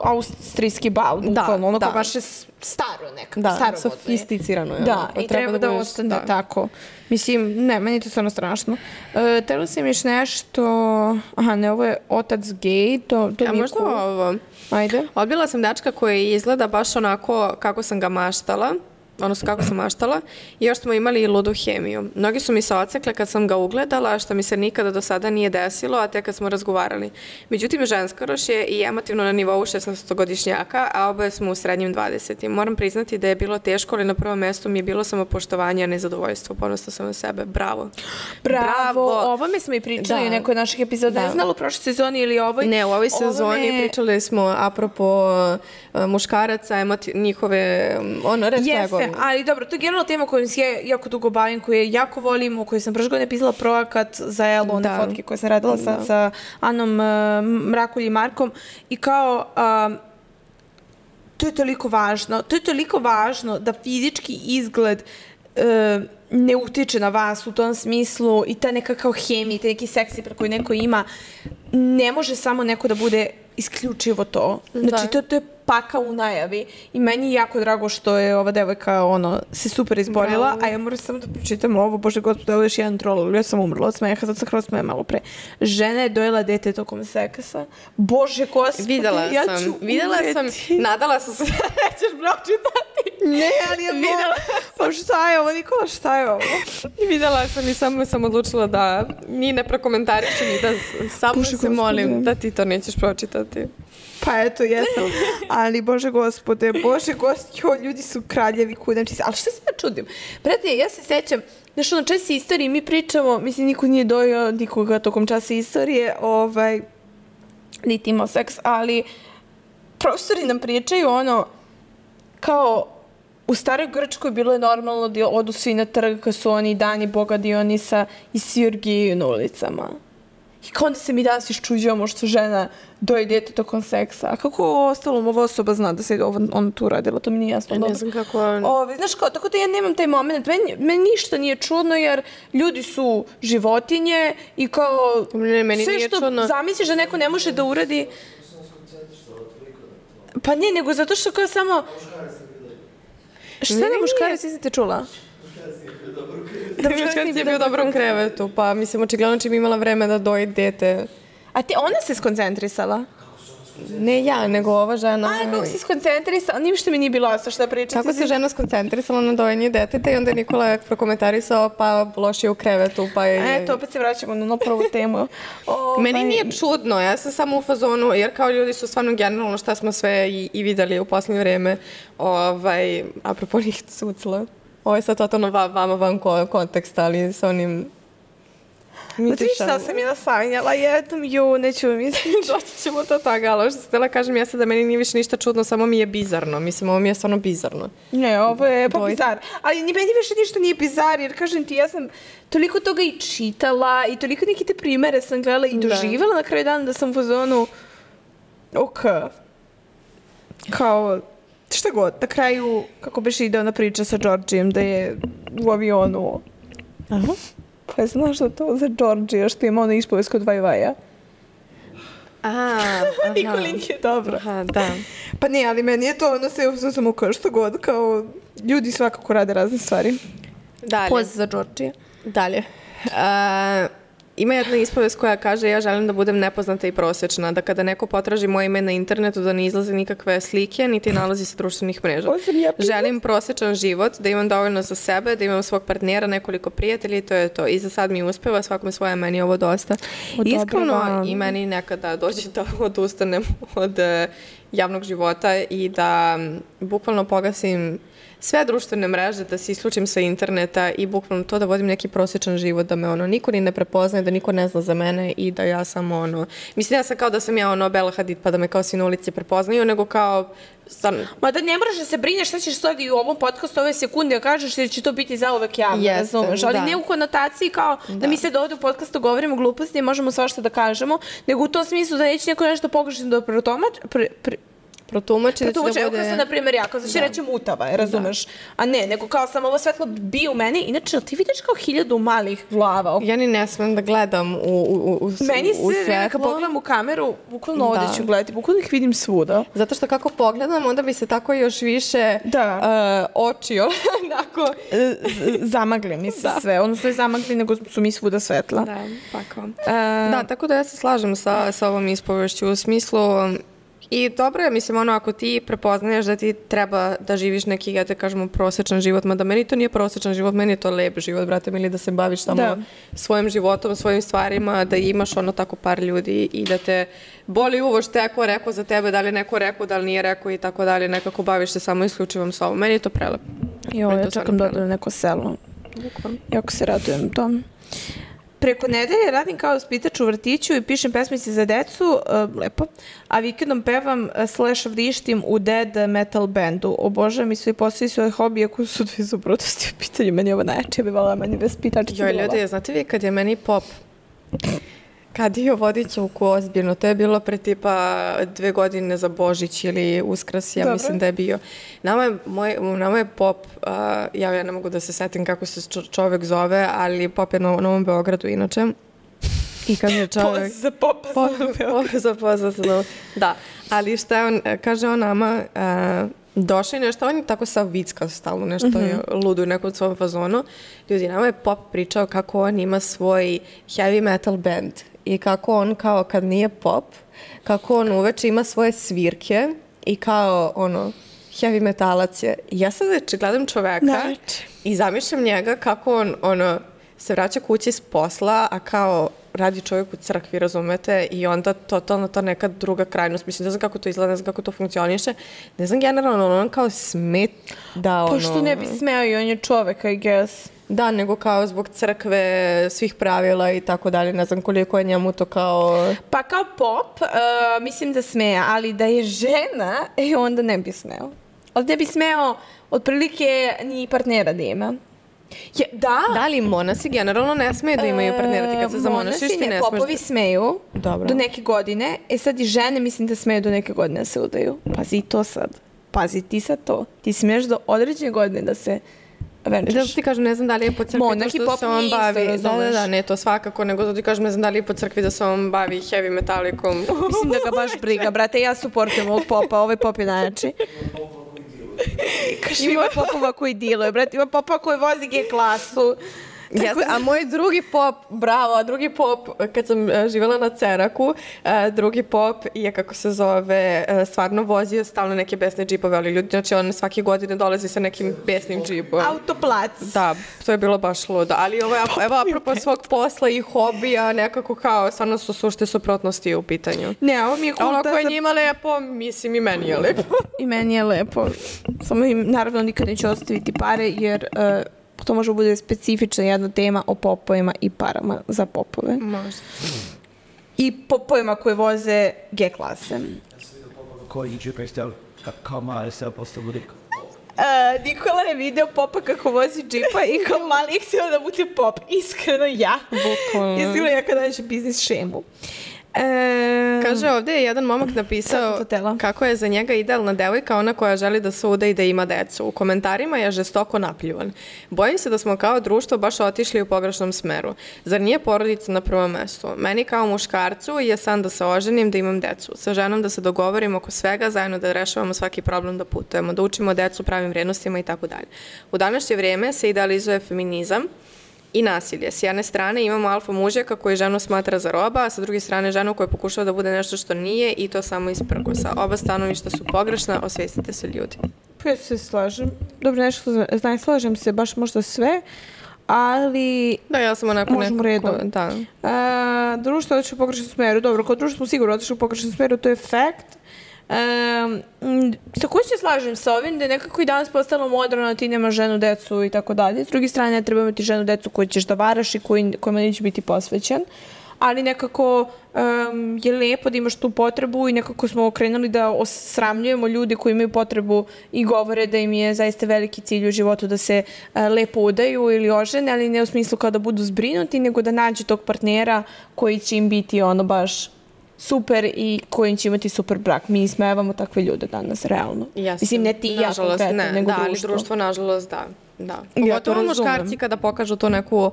austrijski bal, bukvalno, ono kao baš je staro nekako, staro sofisticirano je. Da, i treba da ostane tako. Mislim, ne, meni je to stvarno strašno. Telo sam još nešto, ne, ovo je otac gej, to nije možda cool. Ovo. Ajde. Odbila sam dečka koji izgleda baš onako kako sam ga maštala. Odnosno kako sam maštala, i još smo imali i ludu hemiju. Mnogi su mi se ocekle kad sam ga ugledala, što mi se nikada do sada nije desilo, a tek kad smo razgovarali. Međutim, ženskoroš je i emotivno na nivou 16-godišnjaka, a oboje smo u srednjim 20. Moram priznati da je bilo teško, ali na prvom mestu mi je bilo samopoštovanje, a ne zadovoljstvo. Ponosna sam na sebe. Bravo. Bravo. O ovome smo i pričali u nekoj naših epizoda. Ne znala u prošloj sezoni ili ovoj. Ne, u ovoj sezoni pričali smo apropo muškaraca, njihove, Jeste, ali dobro, to je generalno tema koju se jako dugo bavim, koju je jako volim, u kojoj sam prošle godine pisala projekat za Elu, one fotke koje sam radila sa Anom Mrakulj i Markom, i kao to je toliko važno da fizički izgled ne utiče na vas u tom smislu i ta neka kao hemija, taj neki seksi koji neko ima, ne može samo neko da bude isključivo to. Znači, to je paka u najavi i meni je jako drago što je ova devojka se super izborila, a ja moram samo da pročitam ovo, bože gospode, ovo je još jedan troll, ja sam umrla od smeha, sad sam kroz smeha malo pre. Žena je dojela dete tokom seksa. Bože gospode, Videla sam, nadala sam se da nećeš pročitati. Ne, ali ja videla. Pa šta je ovo, Nikola, šta je ovo? Videla sam i samo sam odlučila da ni ne prokomentarišem i da samo se molim da ti to nećeš pročitati. Pa eto, jesam. Ali, bože gospode, ljudi su kraljevi kudanči. Ali što se ja čudim? Brate, ja se sećam, znaš, na časi istoriji mi pričamo, mislim, niko nije dojao nikoga tokom časa istorije, niti imao seks, ali profesori nam pričaju kao u staroj Grčkoj bilo je normalno da odu svi na trg kad su oni dani boga Dionisa i svi orgijaju na ulicama. I kao onda se mi danas iščuđujemo što žena doje dete tokom seksa. A kako ostalo ova osoba zna da se on tu radila? To mi nije jasno. Ne znam kako... Znaš kao, tako da ja nemam taj moment. Meni ništa nije čudno jer ljudi su životinje i kao... Sve što zamisliš da neko ne može da uradi... Pa ne, nego zato što kao samo... Šta da muškarac niste čula? Da muškarac je bio u dobrom krevetu, pa mislim, očigledno čim imala vreme da doji dete. A ona se skoncentrisala? Ne ja, nego ova žena... kako se skoncentrisala? Ništa mi nije bilo jasno šta pričati. Kako se žena skoncentrisala na dojenje deteta i onda je Nikola prokomentarisao, pa loš je u krevetu, pa je... Eto, opet se vraćamo na prvu temu. Meni nije čudno, ja sam samo u fazonu, jer kao ljudi su stvarno generalno šta smo sve i videli u posljednje vreme, apropo njih sucla. Ovo je sad totalno vama van konteksta, ali sa onim... Znate šta sam ja sanjala? Neću mi doći ćemo do toga, ali što se htjela kažem, ja sad da meni nije više ništa čudno, samo mi je bizarno. Mislim, ovo mi je stvarno bizarno. Ne, ovo je pa bizar. Ali meni više ništa nije bizar, jer kažem ti, ja sam toliko toga i čitala i toliko neke te primere sam gledala i doživjela na kraju dana da sam u fazonu kao šta god, na kraju kako biš ide ona priča sa Georgijem da je u avionu. Aha. Pa znaš da to za Georgija što ima ona ispovest kod Vajvaja? Nikolin je dobro. Aha, da. Pa ne, ali meni je to sve samo kao što god, kao ljudi svakako rade razne stvari. Dalje. Pozdrav za Georgija. Dalje. Ima jedna ispovest koja kaže ja želim da budem nepoznata i prosječna, da kada neko potraži moje ime na internetu da ne izlaze nikakve slike, niti nalazi sa društvenih mreža. Želim prosječan život, da imam dovoljno za sebe, da imam svog partnera, nekoliko prijatelja i to je to. I za sad mi uspeva, svakome svoje, meni je ovo dosta. Iskreno i meni nekada dođe da odustanem od javnog života i da bukvalno pogasim sve društvene mreže, da se isključim sa interneta i bukvalno to da vodim neki prosječan život, da me niko ni ne prepoznaje, da niko ne zna za mene i da ja samo mislim ja sam kao da sam ja Bela Hadid pa da me kao svi na ulici prepoznaju, nego kao Ma da ne moraš da se brineš šta ćeš sad i u ovom podcastu ove sekunde da kažeš da će to biti zauvek javno, razumeš, ali ne u konotaciji kao da mi sad ovde u podcastu govorimo gluposti i možemo svašta da kažemo, nego u tom smislu da neće neko nešto pogrešno da protumači da će da bude... Evo kao sad, na primjer, ja, kao znači reći mutava, razumeš? A ne, nego kao sam ovo svetlo bi u meni. Inače, ti vidiš kao 1000 malih glava? Ja ni ne smem da gledam u svetlo. Meni se vreme kad pogledam u kameru, bukvalno ovdje ću gledati, bukvalno ih vidim svuda. Zato što kako pogledam, onda bi se tako još više oči onako... Zamagli mi se sve. Odnosno je zamagli, nego su mi svuda svetla. Da, pa kao. Da, tako da ja se slažem sa ovom ispovešću u smislu... I dobro je, mislim, ako ti prepoznaješ da ti treba da živiš neki, ja te kažemo, prosječan život, mada meni to nije prosječan život, meni je to lep život, brate, ili da se baviš samo svojim životom, svojim stvarima, da imaš tako par ljudi i da te boli uvo što je rekao za tebe, da li neko rekao, da li nije rekao i tako dalje, nekako baviš se samo isključivom sobom. Meni je to prelepo. Ja čekam da odem neko selo. Jako se radujem tom. Preko nedelje radim kao vaspitač u vrtiću i pišem pesmice za decu, lepo, a vikendom pevam / vrištim u dead metal bandu. Obožavam i svi posao svoje hobije koji su dve suprotnosti u pitanju. Meni je ovo najjače, bi vala meni vaspitačica. Joj, ljudi, znate vi kad je meni pop kadio vodičavku ozbiljno, to je bilo pre tipa 2 godine za Božić ili Uskrs, ja mislim da je bio. Nama je pop, ja ne mogu da se setim kako se čovek zove, ali pop je na Novom Beogradu inače. I kaže čovek... Poz za popa za Novom Beogradu. Da, ali šta je on, kaže on nama... Došao je nešto, on je tako sav vicka stalno, nešto je ludo u nekom svom fazonu. Ljudi, nama je pop pričao kako on ima svoj heavy metal band i kako on kao kad nije pop, kako on uveče ima svoje svirke i kao heavy metalac je. Ja sad gledam čoveka i zamišljam njega kako on se vraća kući s posla, a kao radi čovjek u crkvi, razumete, i onda totalno to neka druga krajnost. Mislim, ne znam kako to izgleda, ne znam kako to funkcioniše. Ne znam, generalno, on kao smet da Pošto ne bi smeo i on je čovek, I guess. Da, nego kao zbog crkve, svih pravila i tako dalje. Ne znam koliko je njemu to kao... Pa kao pop, mislim da smeja, ali da je žena, onda ne bi smeo. Ali ne bi smeo, otprilike, ni partnera da ima. Da li monasi generalno ne smeju da imaju partnera, ti kad se zamonašiš ti ne smeš? Popovi smeju do neke godine, sad i žene mislim da smeju do neke godine da se udaju. Pazi to sad. Pazi ti sad to. Ti smiješ do određene godine da se venčaš. Da ti kažem, ne znam da li je po crkvi to što se on bavi. Da, ne, to svakako, nego da ti kažem, ne znam da li je po crkvi da se on bavi heavy metalikom. Mislim da ga baš briga, brate, ja suportujem ovog popa, ovaj pop je najjači. Ima popova koji diluje, brate, ima popa koji vozi G klasu. A moj drugi pop, bravo, drugi pop, kad sam živjela na Ceraku, drugi pop je, kako se zove, stvarno vozio stalno neke besne džipove, ali ljudi, znači on svake godine dolazi sa nekim besnim džipom. Autoplac. Da, to je bilo baš ludo, ali evo, apropo svog posla i hobija, nekako kao, stvarno su sušte suprotnosti u pitanju. Ne, ovo mi je ono koje je njima lepo, mislim i meni je lepo. I meni je lepo. Samo im, naravno, nikad neću ostaviti pare, jer... to može bude specifična jedna tema o popovima i parama za popove. Možda. I popovima koje voze G klase. Ja sam vidio popa koji džipa je stel, kao mali stel postao budika. Nikola je video popa kako vozi džipa i kao mali je htio da bude pop. Iskreno ja. Bukvalno. Iskreno ja kada nađem biznis šemu. Kaže, ovdje je jedan momak napisao kako je za njega idealna devojka ona koja želi da se uda i da ima decu. U komentarima je žestoko napljivan. Bojim se da smo kao društvo baš otišli u pogrešnom smeru. Zar nije porodica na prvom mestu? Meni kao muškarcu je san da se oženim, da imam decu. Sa ženom da se dogovorimo oko svega, zajedno da rešavamo svaki problem, da putujemo, da učimo decu pravim vrijednostima i tako dalje. U današnje vrijeme se idealizuje feminizam i nasilje. S jedne strane imamo alfa mužjaka koji ženu smatra za roba, a sa druge strane ženu koja pokušava da bude nešto što nije i to samo iz prkosa. Oba stanovišta su pogrešna, osvijestite se ljudi. Ja se slažem. Dobro, nešto slažem se baš možda sve, ali... Da, ja sam onako možemo redom. Da. Društvo otišlo u pogrešnom smeru. Dobro, kao društvo smo sigurno otišli u pogrešnom smeru, to je fakt. Takođe se slažem sa ovim da je nekako i danas postalo moderno da ti nemaš ženu, decu i tako dalje. S druge strane, ne treba imati ženu, decu koju ćeš da varaš i kojima neće biti posvećen. Ali nekako je lepo da imaš tu potrebu i nekako smo okrenuli da osramljujemo ljude koji imaju potrebu i govore da im je zaista veliki cilj u životu da se lepo udaju ili ožene, ali ne u smislu kao da budu zbrinuti, nego da nađu tog partnera koji će im biti ono baš super i kojim će imati super brak. Mi ismevamo takve ljude danas, realno. Mislim, ne ti i ja konkretno, nego društvo. Ali društvo, nažalost, da. Pogotovo muškarci kada pokažu tu neku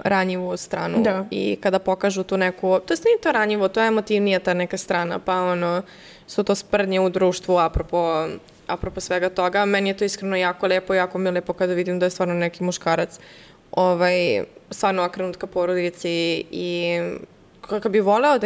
ranjivu stranu i kada pokažu tu neku, to nije to ranjivo, to je emotivnija ta neka strana, pa ono, su to sprdnje u društvu apropo svega toga. Meni je to iskreno jako lepo, jako mi je lepo kada vidim da je stvarno neki muškarac stvarno okrenut ka porodici i kad bi voleo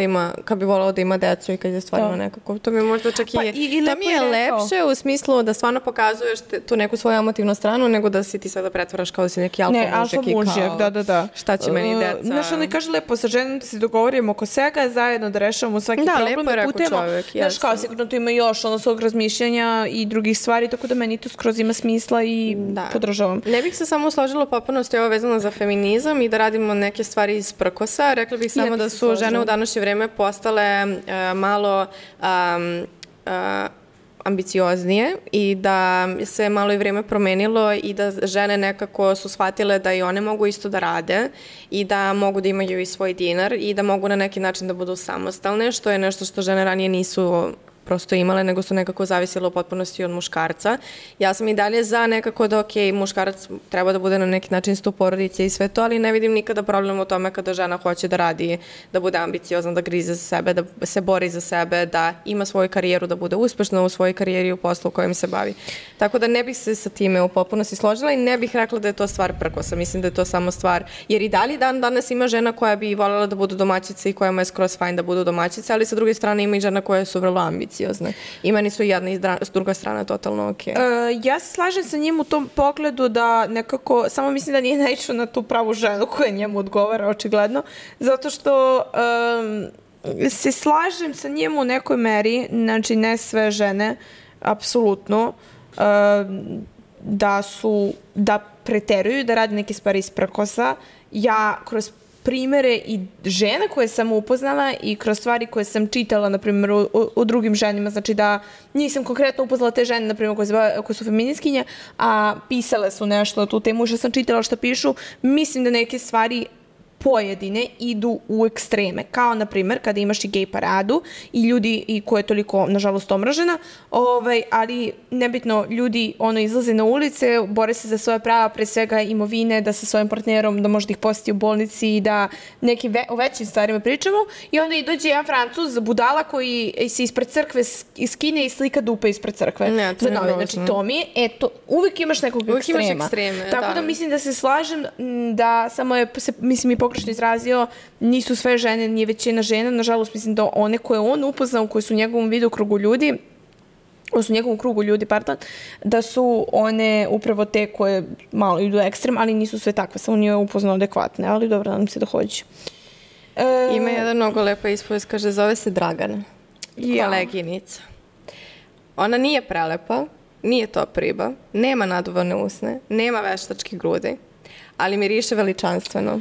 da ima decu i kad je stvarno nekako, to mi je možda čak i to mi je lepše u smislu da stvarno pokazuješ tu neku svoju emotivnu stranu nego da si ti sada pretvaraš kao da si neki alfa mužjak i kao šta će meni deca. Znaš, ono kaže lepo sa ženom da se dogovorimo oko svega, zajedno da rešavamo svaki problem, da putemo. Znaš, kao sigurno tu ima još svog razmišljanja i drugih stvari, tako da meni to skroz ima smisla i podržavam. Ne bih se samo složila potpunosti ovo vezano za feminizam i da radimo neke stvari iz prkosa, rekla bih samo da su žene u današnje vreme postale malo ambicioznije i da se malo i vreme promenilo i da žene nekako su shvatile da i one mogu isto da rade i da mogu da imaju i svoj dinar i da mogu na neki način da budu samostalne, što je nešto što žene ranije nisu prosto imale, nego su nekako zavisile u potpunosti od muškarca. Ja sam i dalje za nekako da, muškarac treba da bude na neki način stup porodice i sve to, ali ne vidim nikada problem u tome kada žena hoće da radi, da bude ambiciozna, da grize za sebe, da se bori za sebe, da ima svoju karijeru, da bude uspešna u svojoj karijeri i u poslu u kojem se bavi. Tako da ne bih se sa time u potpunosti složila i ne bih rekla da je to stvar prkosa. Mislim da je to samo stvar, jer i dalje danas ima žena koja bi voljela da budu domaćice i kojima je skroz fajn da budu domaćice, ali sa druge strane ima i žena koje su vrlo ambiciozne. I meni su jedna i druga strana totalno okej. Ja se slažem sa njim u tom pogledu da nekako, samo mislim da nije naišao na tu pravu ženu koja njemu odgovara, očigledno, zato što se slažem sa njim u nekoj meri, znači ne sve žene, apsolutno, da preteruju, da rade neke stvari iz prkosa. Ja kroz primere i žena koje sam upoznala i kroz stvari koje sam čitala, na primjer, o drugim ženima, znači da nisam konkretno upoznala te žene, na primjer, koje su feminiskinje, a pisale su nešto na tu temu, što sam čitala što pišu, mislim da neke stvari pojedine idu u ekstreme. Kao, na primjer, kada imaš i gej paradu i ljudi koja je toliko, nažalost, omražena, ali nebitno, ljudi izlaze na ulice, bore se za svoje prava, pre svega imovine, da sa svojim partnerom, da može da ih posjeti u bolnici i da nekim većim stvarima pričamo. I onda i dođe jedan Francuz, budala, koji se ispred crkve skine i slika dupe ispred crkve. Znači, to mi je, uvijek imaš nekog ekstrema. Tako da mislim da se slažem da samo je, mislim, i pogrešno izrazio, nisu sve žene, nije većina žena, nažalost mislim da one koje on upoznao, koje su u njegovom krugu ljudi, da su one upravo te koje malo idu ekstrem, ali nisu sve takve, samo nije upoznao adekvatne, ali dobro, nadam se da hoće. Ima jedan mnogo lepa ispovest, kaže, zove se Dragana, koleginica. Ona nije prelepa, nije top riba, nema naduvane usne, nema veštačke grudi, ali miriše veličanstveno.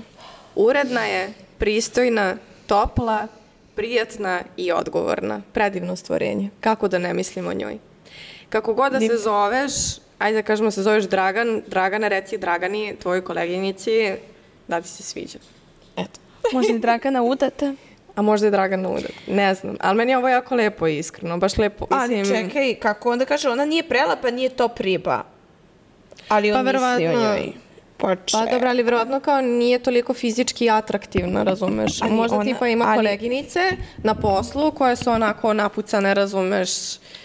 Uredna je, pristojna, topla, prijatna i odgovorna. Predivno stvorenje. Kako da ne mislim o njoj? Kako god da se zoveš, ajde da kažemo se zoveš Dragana, reci Dragani, tvojoj koleginici, da ti se sviđa. Eto. Možda je Dragana udata? A možda je Dragana udata, ne znam. Ali meni je ovo jako lepo i iskreno, baš lepo. Ali čekaj, kako onda kaže, ona nije prelepa, nije top riba. Ali on misli o njoj. Pa dobro, ali vjerojatno kao nije toliko fizički atraktivna, razumeš? Možda tipa ima koleginice na poslu koje su onako napucane, razumeš?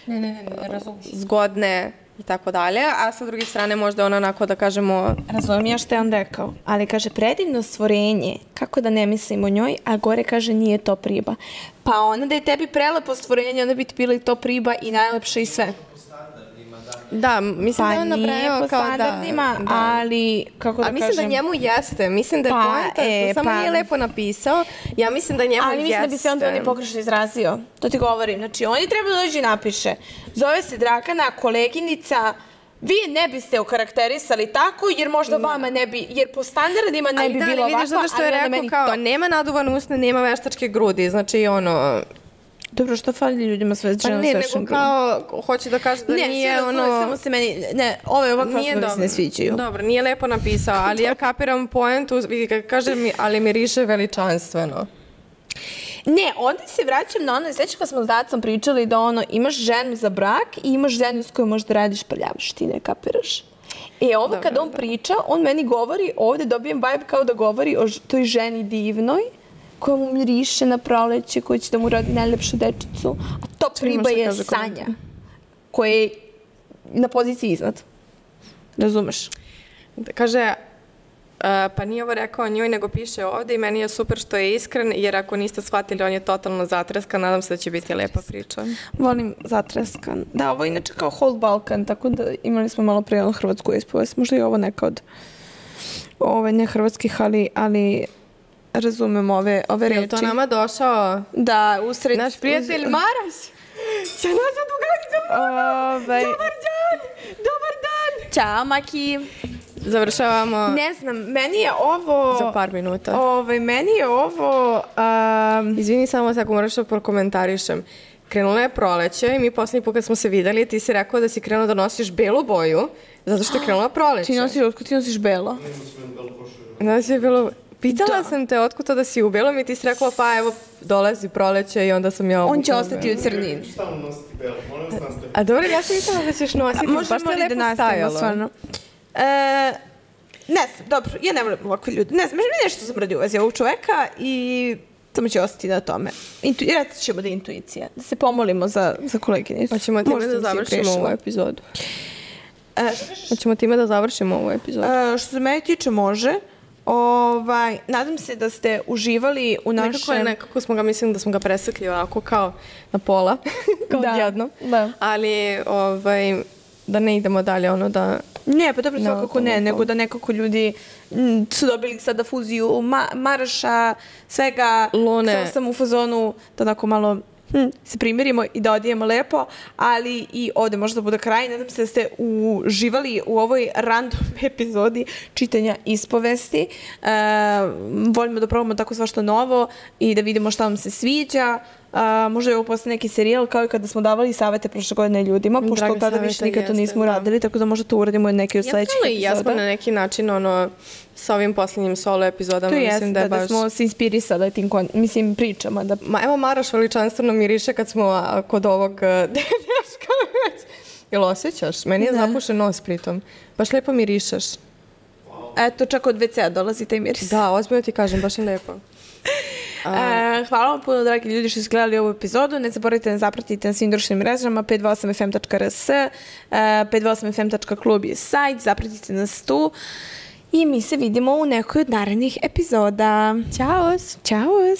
Ne razumeš. Zgodne i tako dalje, a sa druge strane možda ona onako da kažemo... Razumijem ja što je on rekao, ali kaže predivno stvorenje, kako da ne mislim o njoj, a gore kaže nije top riba. Pa ona da je tebi prelepo stvorenje, onda bi ti bila i top riba i najlepša i sve. Da, mislim da je on nabrajao po kao standardima, ali kako da ali kažem... mislim da njemu jeste, mislim da je poenta, samo nije lepo napisao, ja mislim da njemu jeste. Ali mislim da bi se onda on je pogrešno izrazio, to ti govorim, znači on je trebao da dođe i napiše, zove se Dragana, koleginica, vi ne biste okarakterisali tako, jer možda vama ne bi, jer po standardima ne bi bilo ovako, ali vidiš zato što je rekao kao, nema naduvan usne, nema veštačke grudi, znači ono... Dobro, što fali ljudima sve žena ne, nego kao, hoće da kaže da nije ono... Ne, samo se meni, ne, ove ovakve osobe se ne sviđaju. Dobro, nije lepo napisao, ali ja kapiram poentu, kaže mi, ali miriše veličanstveno. Ne, onda se vraćam na ono, sveća kad smo s Dacom pričali da ono, imaš ženu za brak i imaš ženu s kojom možda radiš prljavštine, kapiraš? Ovo dobro, kada on priča, on meni govori, ovde dobijem vibe kao da govori o toj ženi divnoj, koja mu miriše na proleće, koja će da mu rodi najlepšu dečicu, a top riba je Sanja, koja je na poziciji iznad. Razumeš? Kaže, pa nije ovo rekao o njoj, nego piše ovde i meni je super što je iskren, jer ako niste shvatili, on je totalno zatreskan, nadam se da će biti lepa priča. Volim zatreskan. Da, ovo je inače kao Whole Balkan, tako da imali smo malo prije hrvatsku ispovest. Možda je ovo neka od ne hrvatskih, ali razumem ove reči. Je to nama došao? Da, usred... Naš prijatelj Maras. Će naša drugarca. Dobar dan. Ćao, Maki. Završavamo. Ne znam, meni je ovo... Za par minuta. Meni je ovo... Izvini, samo tako moraš da prokomentarišem. Krenula je proleće i mi poslednji put kad smo se videli, ti si rekao da si krenuo da nosiš belu boju, zato što je krenula proleće. Ti nosiš belo? Nosiš belo... Pitala sam te otkud to da si u belom i ti si rekla pa evo dolazi proleće i onda sam ja obukla. On će ostati u crnini. Stalno nositi belo, molim vas nastaviti. A dobro, ja sam mislila da ćeš nositi, baš te lepo stajalo. Stvarno. Ne znam, dobro, ja ne volim ovakve ljudi. Ne znam, meni nešto zamrdi u vezi ovog čoveka i samo će ostati na tome. Reći ćemo da je intuicija, da se pomolimo za koleginicu. Hoćemo time da završimo ovu epizodu. Hoćemo time da završimo ovu epizodu. Što se mene tiče može. Nadam se da ste uživali u našem... Nekako smo ga, mislim da smo ga presekli ovako kao na pola, kao odjedno. Da. Ali, da ne idemo dalje, ono da... Ne, pa dobro, svakako ne, nego da nekako ljudi su dobili sada fuziju Maraša, svega, samo sam u fazonu da onako malo se primirimo i da odijemo lepo, ali i ovde možda bude kraj. Nadam se da ste uživali u ovoj random epizodi čitanja ispovesti. Volimo da probamo tako svašta novo i da vidimo šta vam se sviđa. Možda je ovo postane neki serijal kao i kada smo davali savete prošle godine ljudima, pošto od tada više nikad to nismo uradili, tako da možda to uradimo neke od sledećih epizoda. Ja smo na neki način sa ovim posljednjim solo epizodama. To jeste, da smo se inspirisali tim pričama. Evo Maraš veličanstveno miriše kad smo kod ovog deška već. Jel osjećaš? Meni je zapušen nos pritom. Baš lepo mirišeš. Eto, čak od WC-a dolazi taj miris. Da, ozbiljno ti kažem, baš je lepo. Hvala vam puno, dragi ljudi, što ste gledali ovu epizodu. Ne zaboravite da zapratite na svim društvenim mrežama 528fm.rs, 528fm.klub je sajt, zapratite nas tu i mi se vidimo u nekoj od narednih epizoda. Ćao! Ćao!